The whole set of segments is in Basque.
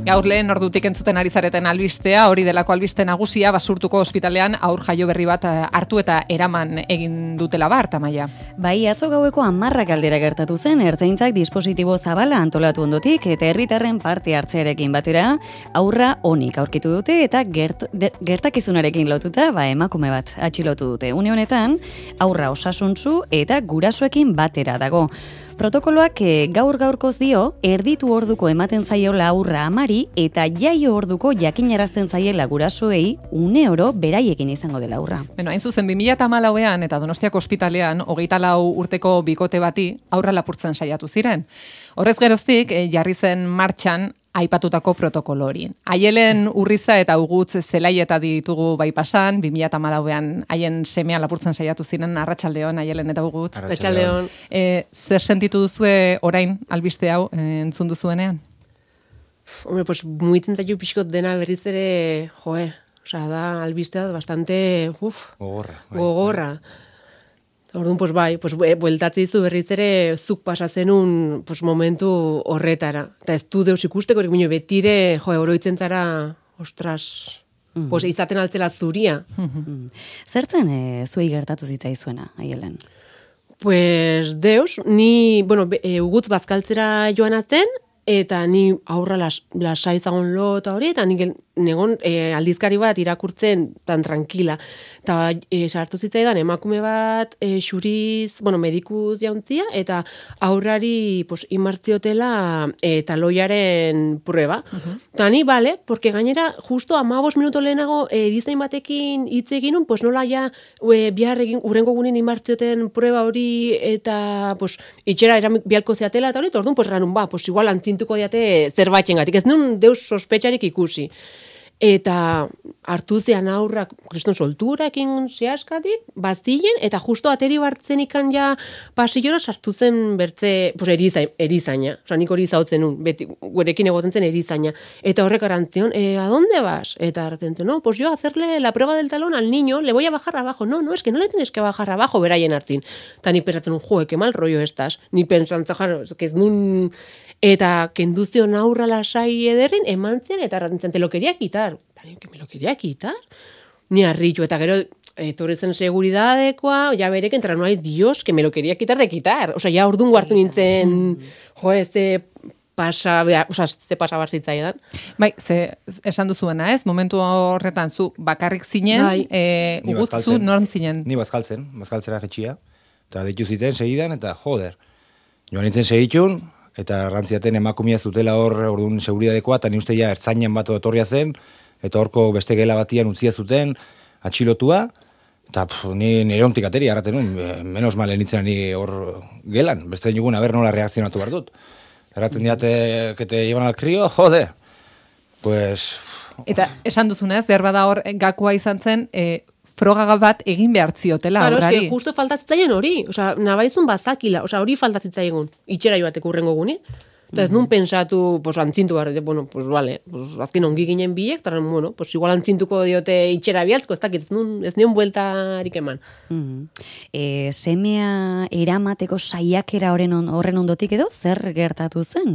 Gaur lehen ordutik entzuten ari zareten albistea, hori delako albiste nagusia Basurtuko ospitalean aur jaio berri bat hartu eta eraman egin dutela Tamaia. Bai, atzo gaueko 10 aldera gertatu zen, ertzaintzak dispositibo zabala antolatu ondotik eta herritarren parte hartzearekin batera, aurra onik aurkitu dute eta gertakizunarekin lotuta, emakume bat atxilotu dute. Une honetan, aurra osasuntsu eta gurasoekin batera dago. Protokoloak gaur-gaurkoz dio, erditu orduko ematen zaiola aurra amari eta jaio orduko jakinarazten zaiela gurasoei une oro beraiekin izango dela aurra. Beno, hain zuzen 2014ean eta Donostiako ospitalean 24 urteko bikote bati aurra lapurtzen saiatu ziren. Horrez geroztik, jarri zen martxan aipatutako protokolo hori. Aielen Urriza eta Ugutz zelaieta ditugu bai pasan, 2014ean haien semea lapurtzen saiatu ziren. Arratsaldeon Aielen eta Ugutz. Arratsaldeon. Zer sentitu duzue orain albiste hau entzun duzuenean? Hombre, pues muitzen zaitu pixkot dena berriz ere, osea, da albistea bastante, gogorra. Orduan, pues bai, bueltatze dizu berriz ere zuk pasazenun momentu horretara. Eta ez du deus ikusteko, betire, oroitzen zara, ostras, izaten altzela zuria. Zertzen zuei gertatu zitzaizuena, Aielen? Pues deus, ni, Ugutz bazkaltzera joan atzen, eta ni aurra lasai zagon lo eta hori, eta negon aldizkari bat irakurtzen tan tranquila. Eta sartu zitzaidan emakume bat xuriz, medikuz jauntzia, eta aurrari imartziotela taloiaren prueba. Eta ni, porque gainera, justo 15 minuto lehenago erizain batekin hitz eginun, nola ja bihar egin, urrengo gunin imartzioten prueba hori, eta itxera bialko zeatela, eta hori, orduan, ranun, igual antzintuko diate zerbaiten gatik. Ez nun deus sospetxarik ikusi. Eta hartu zean aurrak kriston solturakin zehaskatik, bazien, eta justo ateri bartzen ikan ja pasillora sartu zen bertze, erizaina. Osa, nik hori zautzen nun, beti, gurekin egoten zen erizaina. Eta horrek arantzion, ¿a dónde vas? Eta arantzion, no, yo a hacerle la prueba del talón al niño, le voy a bajar abajo. No, es que no le tienes que bajar abajo, beraien hartin. Eta ni pensatzen, qué mal rollo estás. Ni pensatzen, es que ez nun... Eta kenduzion aurra lasai ederrin, emantzian, eta arrantzen, te lo quería quitar. Que me lo quería quitar? Ni arrillo, eta gero, etorrezen seguridadekoa, ja berek entra, no hay Dios, que me lo quería quitar de quitar. Osa, ja urdun guartu nintzen, ze pasa barzitzaidan. Bai, esan duzuena, ez? Momentu horretan zu bakarrik zinen, Ugutz zu norm zinen? Ni bazkaltzera jetxia, eta ditu ziten segidan, eta joder, joan nintzen segitun, eta rantziaten emakumia zutela orduan seguridadekoa, eta ni uste ja ertzainan bat etorria zen, eta horko beste gela batian utzia zuten, atxilotua, eta ni nire ontik ateri, arraten nun, menos male nintzen ni hor gelan, beste nigun, nola reakzionatu behar dut. Erraten diate, que te llevan al crío, jode. Pues... Eta esan duzunez, behar bada hor gakoa izan zen, froga bat egin behar ziotela aurrari. Claro, justo faltatzitzaien hori. Osea, nabaizun bazakila. Osea, hori faltatzitzaien itxera joateko urrengo guni. Eta ez nun pensatu, antzintu behar, vale, azken ongi ginen biek, eta, igual antzintuko diote itxera bialtzko, ez dakit, ez nion bueltarik eman. Semea eramateko saiakera horren ondotik edo, zer gertatu zen?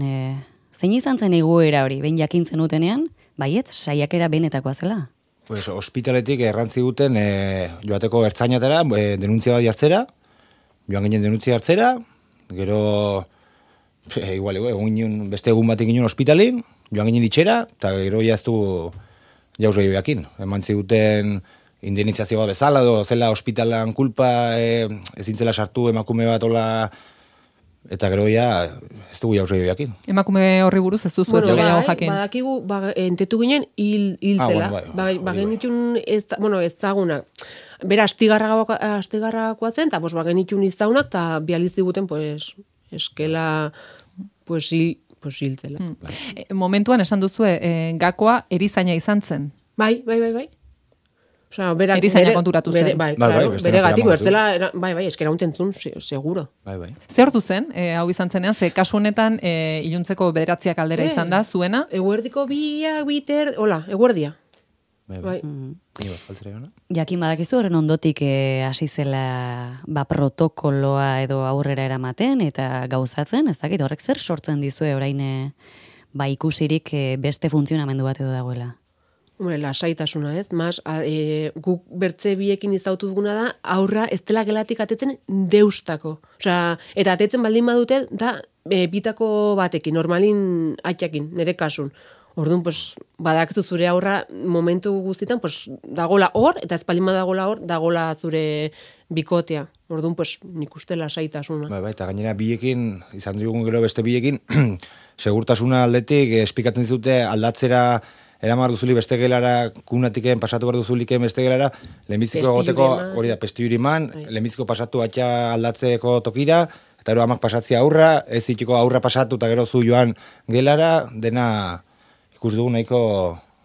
Zein izan zen egoera hori, behin jakintzen utenean, baiet, saiakera benetakoa zela? Pues ospitaletik errantzi duten joateko ertzainatera, denuntzia bat jartzera, joan ginen denuntzia hartzera, gero beste egun batik ginen ospitalin, joan ginen itxera, eta gero jaztu jauz gehioekin. Eman ziguten indemnizazioa bezala, zela ospitalan kulpa, ezintzela sartu emakume bat ola, eta gero ez dugu jauz gehioekin. Emakume horri buruz ez duzu ez gehiago jakin. Badakigu, entetu ginen hiltzela. Bagenitun ezagunak. Bera, astigarrakoa zen, eta bagenitun izagunak, eta bializiguten, eskela, hiltzela. Momentuan esan duzu, gakoa erizaina izan zen. Bai. Osea, erizaina konturatu zen. Bere gatik, bertzela, eskera untentzun, seguro. Zer ordu zen, hau izan zenean, ze kasu honetan, iluntzeko 9 aldera izan da, zuena? Eguerdiko eguerdia. Bai. Jakin badakizu horren ondotik hasi zela protokoloa edo aurrera eramaten eta gauzatzen, ez dakit horrek zer sortzen dizue orain ba ikusirik beste funtzionamendu bat edo dagoela. Hombre, lasaitasuna, ez? Guk bertze biekin izautu duguna da, aurra ez dela gelatik atetzen deustako. Osea, eta atetzen baldin badute, da bitako batekin, normalin atxakin, nire kasun. Orduan, pues, badakizu zure aurra momentu guztietan, pues, dagola hor, eta ez baldin badagola hor, dagola zure bikotea. Orduan, pues, nik uste lasaitasuna. Bai, eta gainera biekin, izan dugun gero beste biekin, segurtasuna aldetik, espikatzen dizute aldatzera eramar duzuli beste gelara, kunatiken pasatu behar duzuliken beste gelara, lehenbiziko egoteko, hori da, pestiuriman, lehenbiziko pasatu atxa aldatzeko tokira, eta gero amak pasatzea aurra, ez itxiko aurra pasatu eta gero zu joan gelara, dena ikus dugu nahiko,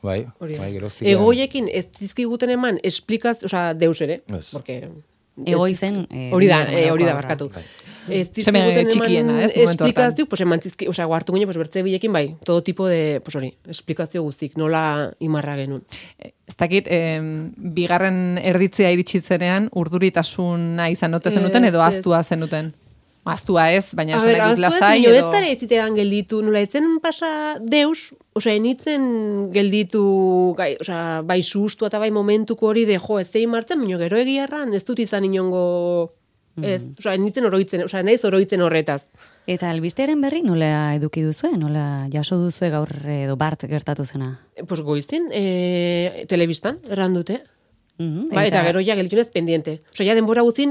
bai, geroztik. Egoiekin ez dizkiguten eman, osea, deus ere, porque... Egoizen... Hori da, barkatu. Ez dizkiguten eman esplikazio, pues eman zizki, osea, guartu gine, pues bertze bilekin, bai, todo tipo de, pues hori, esplikazio guztik, nola imarra genuen. Ez dakit, bigarren erditzea iritsitzenean, urduritasuna izan note zenuten, edo aztua zenuten? Aztua ez, baina esan nahi lasai edo... Ez dara ez zitean gelditu, nola etzen pasa deus, osea, enitzen gelditu, osea, bai sustu eta bai momentuko hori de, jo, ez zein martzen, baina gero egiarran, ez dut izan inongo, ez, osea, enitzen oroitzen, osea, naiz oroitzen horretaz. Eta albistearen berri nola eduki duzue, nola jaso duzue gaur edo bart gertatu zena? Pues goizin, telebistan, errandute. Eta gero ja gelditunez pendiente. Osa, ja denbora guztin,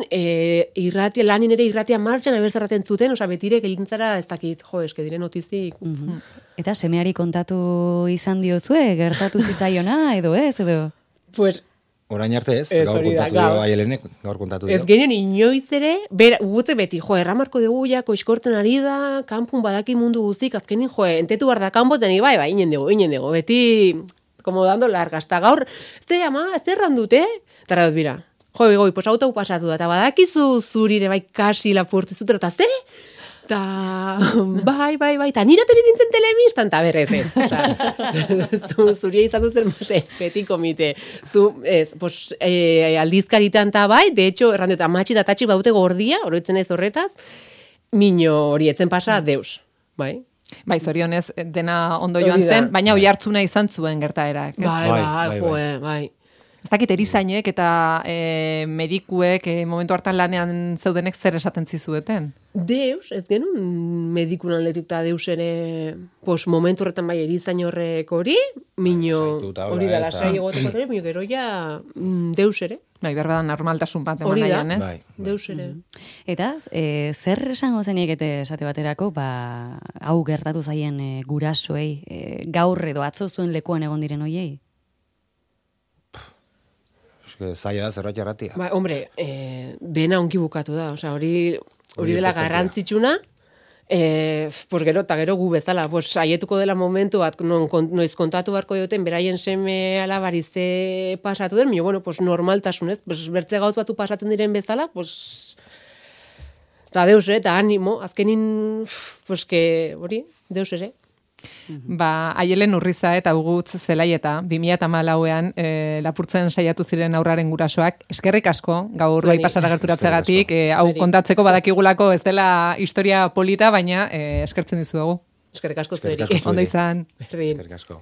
lanin ere irratia martxan abertzarraten zuten, osa, betire gelintzara ez dakit, jo, eske dire notizik. Eta semeari kontatu izan diozue, gertatu zitzaiona, edo ez, edo? Pues... Orain arte ez, gaur kontatu dio Aielenek, gaur kontatu dio. Ez genen inoiz ere, gutze beti, jo, erramarko dugu ja, koizkortzen ari da, kanpun badaki mundu guztik, azkenin, jo, entetu bar da kanpoten, bai, inen dugu, beti... como dando largas, eta gaur, zerran dute? Eta dut, bira, goi, pues auto pasatu da, eta badakizu zurire bai kasi lapurtu zutera, eta ze? Eta, bai, eta nire ateri nintzen telebistan, eta berrez ez. Osa, zuria izan duzen, beti komite. Pues, aldizkaritan eta bai, de hecho, errandu, eta matxi eta tatxik badute gordia, oroitzen ez horretaz, mino hori etzen pasa, deus, bai. Bai, zorionez dena ondo joan zen, baina oi hartzuna izan zuen gertaerak. Bai. Ez dakit erizainek eta medikuek momentu hartan lanean zeudenek zer esaten zizueten? Deus, ez genuen medikun aldetik eta deus ere, pues momentu horretan bai erizain horrek hori, mino hori da lasai egoteko ere, mino gero ja deus ere. Bai, berba da normaltasun bat eman nahian, ez? Deus ere. Eta, zer esango zeniek esate baterako, hau gertatu zaien gurasoei, gaur edo atzo zuen lekuan egon diren hoiei? Zaila da, zerbait jarratia. Ba, hombre, dena onki bukatu da, osea, hori dela garrantzitsuna, pues gero, eta gero gu bezala, pues aietuko dela momentu bat, noiz kontatu barko dioten, beraien seme alabarize pasatu den, bueno, pues normaltasunez, pues bertze gauz batu pasatzen diren bezala, pues, eta deus ere, eta animo, azkenin, pues que, hori, deus ere. Ba, Aielen Urriza eta Ugutz Zelaieta 2014ean lapurtzen saiatu ziren aurraren gurasoak. Eskerrik asko, gaur bai pasara gerturatzegatik, hau kontatzeko badakigulako ez dela historia polita, baina eskertzen dizuegu. Eskerrik asko zueri. Ondo izan. Eskerrik asko.